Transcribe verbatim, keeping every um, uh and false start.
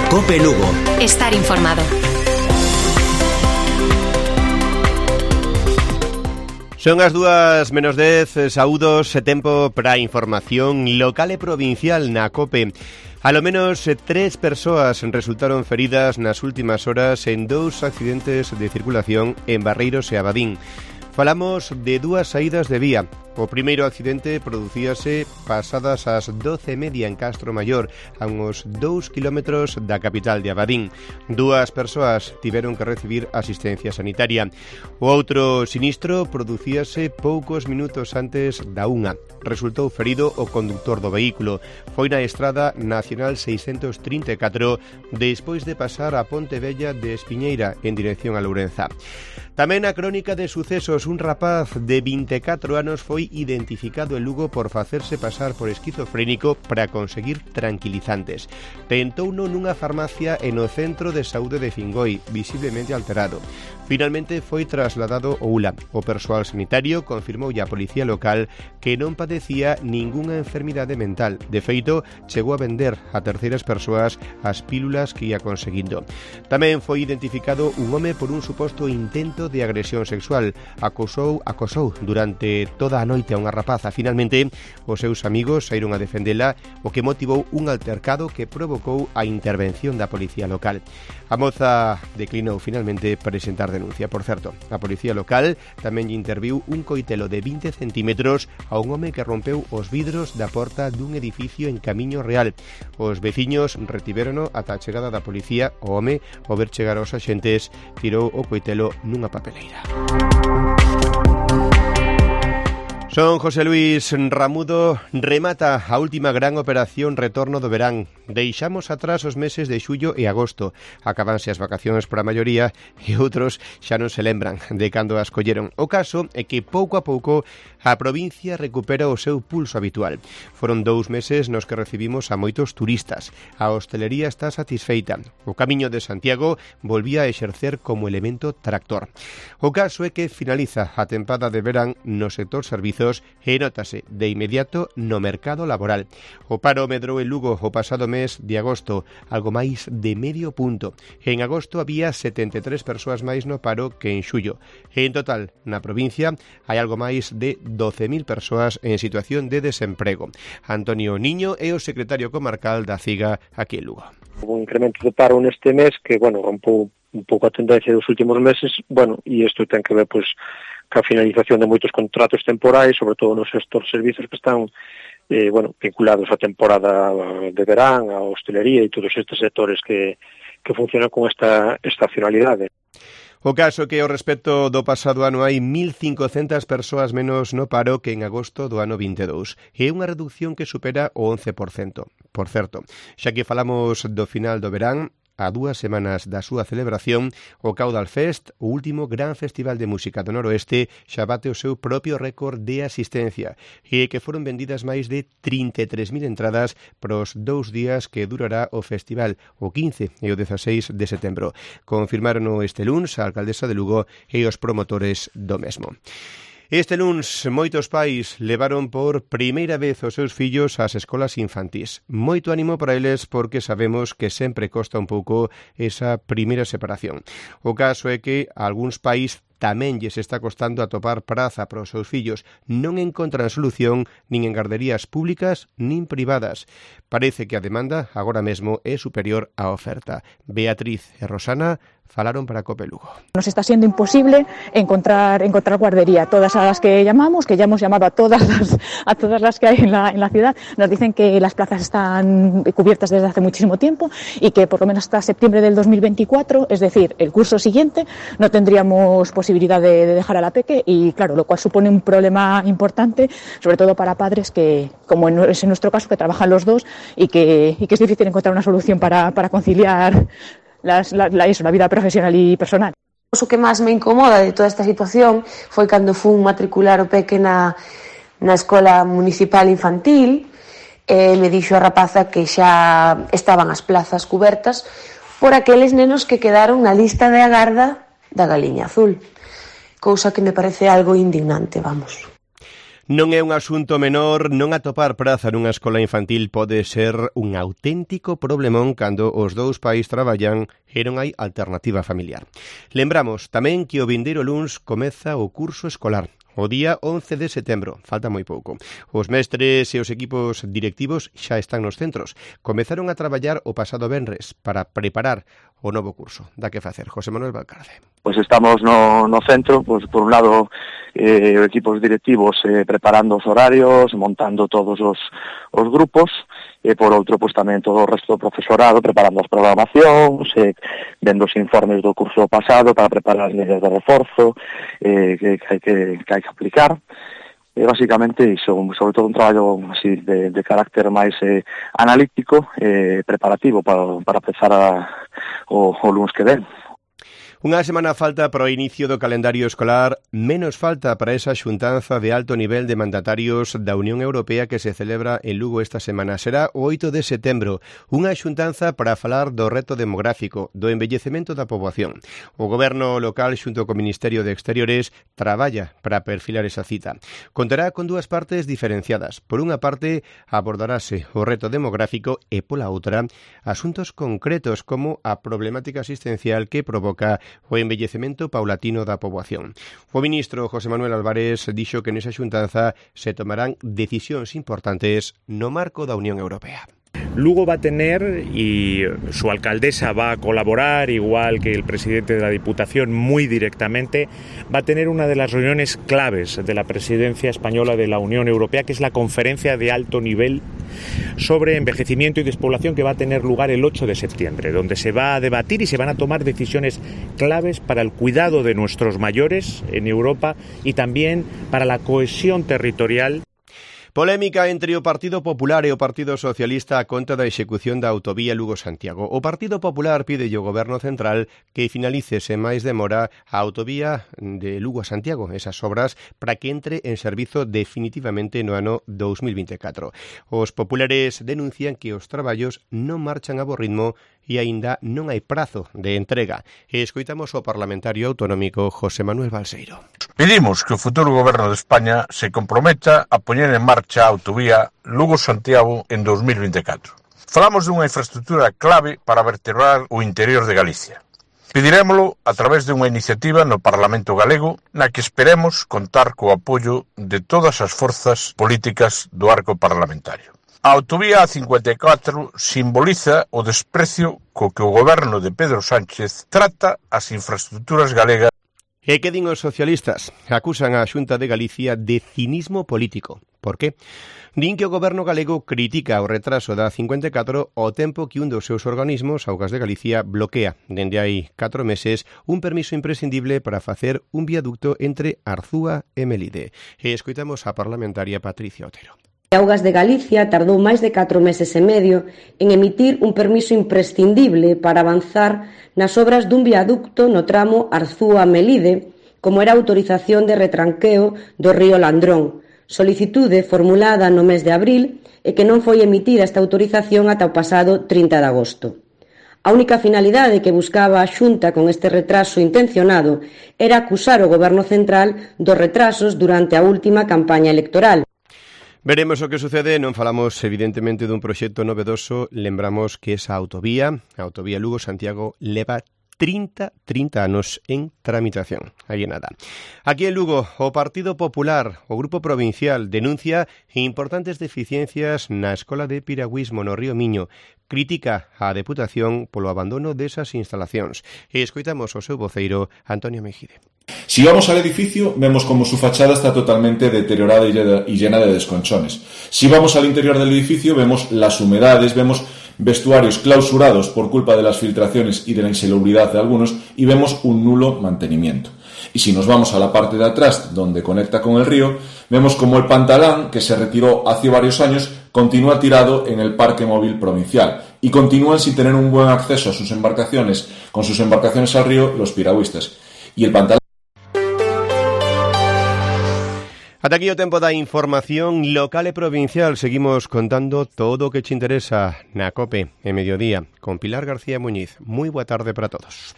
Cope Lugo. Estar informado. Son as dúas menos dez, saúdos e tempo para a información local e provincial na Cope. A lo menos tres persoas resultaron feridas nas últimas horas en dous accidentes de circulación en Barreiros e Abadín. Falamos de dúas saídas de vía. O primeiro accidente producíase pasadas as doce e media en Castro Maior, a uns dous kilómetros da capital de Abadín. Dúas persoas tiveron que recibir asistencia sanitaria. O outro sinistro producíase poucos minutos antes da unha. Resultou ferido o conductor do vehículo. Foi na estrada nacional seiscentos trinta e catro despois de pasar a Ponte Vella de Espiñeira en dirección a Lourenza. Tamén a crónica de sucesos, un rapaz de vinte e catro anos foi identificado en Lugo por facerse pasar por esquizofrénico para conseguir tranquilizantes. Tentouno nunha farmacia en o centro de saúde de Fingoi, visiblemente alterado. Finalmente foi trasladado ao U L A. O persoal sanitario confirmou a policía local que non padecía ningunha enfermidade mental. De feito, chegou a vender a terceiras persoas as pílulas que ia conseguindo. Tamén foi identificado un home por un suposto intento de agresión sexual. Acosou, acosou durante toda a noite a unha rapaza. Finalmente, os seus amigos saíron a defendela, o que motivou un altercado que provocou a intervención da policía local. A moza declinou finalmente presentar denuncia. Por certo, a policía local tamén lle interviu un coitelo de vinte centímetros a un home que rompeu os vidros da porta dun edificio en Camiño Real. Os veciños retivérono ata a chegada da policía. O home, ao ver chegar aos axentes, tirou o coitelo nunha papeleira. Son José Luis Ramudo. Remata a última gran operación retorno do verán. Deixamos atrás os meses de xullo e agosto. Acabanse as vacacións para a maioría e outros xa non se lembran de cando as colleron. O caso é que pouco a pouco a provincia recupera o seu pulso habitual. Foron dous meses nos que recibimos a moitos turistas. A hostelería está satisfeita. O Camiño de Santiago volvía a exercer como elemento tractor. O caso é que finaliza a tempada de verán no sector servizos e nótase de inmediato no mercado laboral. O paro medrou en Lugo o pasado mes de agosto, algo máis de medio punto. En agosto había setenta e tres persoas máis no paro que en xullo. E en total, na provincia, hai algo máis de doce mil persoas en situación de desemprego. Antonio Niño é o secretario comarcal da CIGA aquí en Lugo. Un incremento de paro neste mes que, bueno, rompou un pouco a tendencia dos últimos meses, bueno, e isto ten que ver, pois, ca finalización de moitos contratos temporais, sobre todo nos sector servizos que están eh, bueno, vinculados á temporada de verán, á hostelería e todos estes sectores que, que funcionan con esta estacionalidade. O caso que ao respecto do pasado ano hai mil cincocentas persoas menos no paro que en agosto do ano vinte e dous. E unha reducción que supera o once por cento. Por certo, xa que falamos do final do verán, a dúas semanas da súa celebración, o Caudal Fest, o último gran festival de música do noroeste, xa bate o seu propio récord de asistencia, e que foron vendidas máis de trinta e tres mil entradas para os dous días que durará o festival, o quince e o dezaseis de setembro. Confirmaron este luns a alcaldesa de Lugo e os promotores do mesmo. Este luns, moitos pais levaron por primeira vez os seus fillos ás escolas infantís. Moito ánimo para eles porque sabemos que sempre costa un pouco esa primeira separación. O caso é que a algúns pais tamén lles está costando atopar praza para os seus fillos. Non encontran solución nin en garderías públicas nin privadas. Parece que a demanda agora mesmo é superior á oferta. Beatriz e Rosana falaron para Cope Lugo. Nos está siendo imposible encontrar encontrar guardería. Todas a las que llamamos, que ya hemos llamado a todas las, a todas las que hay en la, en la ciudad, nos dicen que las plazas están cubiertas desde hace muchísimo tiempo y que por lo menos hasta septiembre del dos mil veinticuatro, es decir, el curso siguiente, no tendríamos posibilidad de, de dejar a la peque y, claro, lo cual supone un problema importante, sobre todo para padres que, como en, es en nuestro caso, que trabajan los dos y que, y que es difícil encontrar una solución para, para conciliar Las, la, la, eso, la vida profesional e personal. O que máis me incomoda de toda esta situación foi cando fun matricular o peque na, na escola municipal infantil e me dixo a rapaza que xa estaban as plazas cubertas por aqueles nenos que quedaron na lista de agarda da Galiña Azul, cousa que me parece algo indignante, vamos. Non é un asunto menor, non atopar praza nunha escola infantil pode ser un auténtico problemón cando os dous pais traballan e non hai alternativa familiar. Lembramos tamén que o vindeiro luns comeza o curso escolar. O día once de setembro, falta moi pouco. Os mestres e os equipos directivos xa están nos centros. Comezaron a traballar o pasado venres para preparar o novo curso. Dá que facer, José Manuel Valcarce. Pois estamos no, no centro, pois por un lado eh, equipos directivos eh, preparando os horarios, montando todos os, os grupos, e por outro, pois tamén todo o resto do profesorado preparando as programacións, eh, vendo os informes do curso pasado para preparar as medidas de reforzo eh, que, que, hai que, que hai que aplicar. E basicamente iso, sobre todo un traballo así de, de carácter máis eh, analítico e eh, preparativo para, para empezar a, o, o lunes que ven. Unha semana falta para o inicio do calendario escolar, menos falta para esa xuntanza de alto nivel de mandatarios da Unión Europea que se celebra en Lugo esta semana. Será o oito de setembro, unha xuntanza para falar do reto demográfico, do envellecemento da poboación. O goberno local xunto co Ministerio de Exteriores traballa para perfilar esa cita. Contará con dúas partes diferenciadas. Por unha parte, abordarase o reto demográfico e pola outra, asuntos concretos como a problemática asistencial que provoca o envellecemento paulatino da poboación. O ministro José Manuel Álvarez dixo que nesa xuntanza se tomarán decisións importantes no marco da Unión Europea. Lugo va a tener, y su alcaldesa va a colaborar, igual que el presidente de la Diputación, muy directamente, va a tener una de las reuniones claves de la presidencia española de la Unión Europea, que es la conferencia de alto nivel sobre envejecimiento y despoblación, que va a tener lugar el ocho de septiembre, donde se va a debatir y se van a tomar decisiones claves para el cuidado de nuestros mayores en Europa y también para la cohesión territorial. Polémica entre o Partido Popular e o Partido Socialista a conta da execución da autovía Lugo-Santiago. O Partido Popular pide ao Goberno Central que finalice sen máis demora a autovía de Lugo a Santiago, esas obras, para que entre en servizo definitivamente no ano dous mil vinte e catro. Os populares denuncian que os traballos non marchan a bo ritmo e aínda non hai prazo de entrega. E escoitamos o parlamentario autonómico José Manuel Balseiro. Pedimos que o futuro goberno de España se comprometa a poñer en marcha a autovía Lugo-Santiago en dous mil vinte e catro. Falamos dunha infraestructura clave para vertebrar o interior de Galicia. Pedirémolo a través dunha iniciativa no Parlamento galego na que esperemos contar co apoio de todas as forzas políticas do arco parlamentario. A autovía A cincuenta e catro simboliza o desprecio co que o goberno de Pedro Sánchez trata as infraestructuras galegas. E que din os socialistas? Acusan a Xunta de Galicia de cinismo político. Por qué? Din que o goberno galego critica o retraso da A cincuenta e catro ao tempo que un dos seus organismos, Augas de Galicia, bloquea, dende hai catro meses, un permiso imprescindible para facer un viaducto entre Arzúa e Melide. E escoitamos a parlamentaria Patricia Otero. Augas de Galicia tardou máis de catro meses e medio en emitir un permiso imprescindible para avanzar nas obras dun viaducto no tramo Arzúa-Melide, como era a autorización de retranqueo do río Landrón, solicitude formulada no mes de abril e que non foi emitida esta autorización ata o pasado trinta de agosto. A única finalidade que buscaba a Xunta con este retraso intencionado era acusar o Goberno Central dos retrasos durante a última campaña electoral. Veremos o que sucede, non falamos evidentemente dun proxecto novedoso, lembramos que esa autovía, a autovía Lugo-Santiago, leva trinta, trinta anos en tramitación. Aí nada. Aquí en Lugo, o Partido Popular, o Grupo Provincial, denuncia importantes deficiencias na Escola de Piragüismo no Río Miño. Critica a Deputación polo abandono desas instalacións. E escoitamos o seu voceiro, Antonio Mejide. Si vamos al edificio, vemos como su fachada está totalmente deteriorada y llena de desconchones. Si vamos al interior del edificio, vemos las humedades, vemos vestuarios clausurados por culpa de las filtraciones y de la insalubridad de algunos, y vemos un nulo mantenimiento. Y si nos vamos a la parte de atrás, donde conecta con el río, vemos como el pantalán, que se retiró hace varios años, continúa tirado en el parque móvil provincial, y continúan sin tener un buen acceso a sus embarcaciones, con sus embarcaciones al río, los piragüistas. Y el pantalán... Ata aquí o tempo da información local e provincial. Seguimos contando todo o que te interesa na COPE en mediodía con Pilar García Muñiz. Moi boa tarde para todos.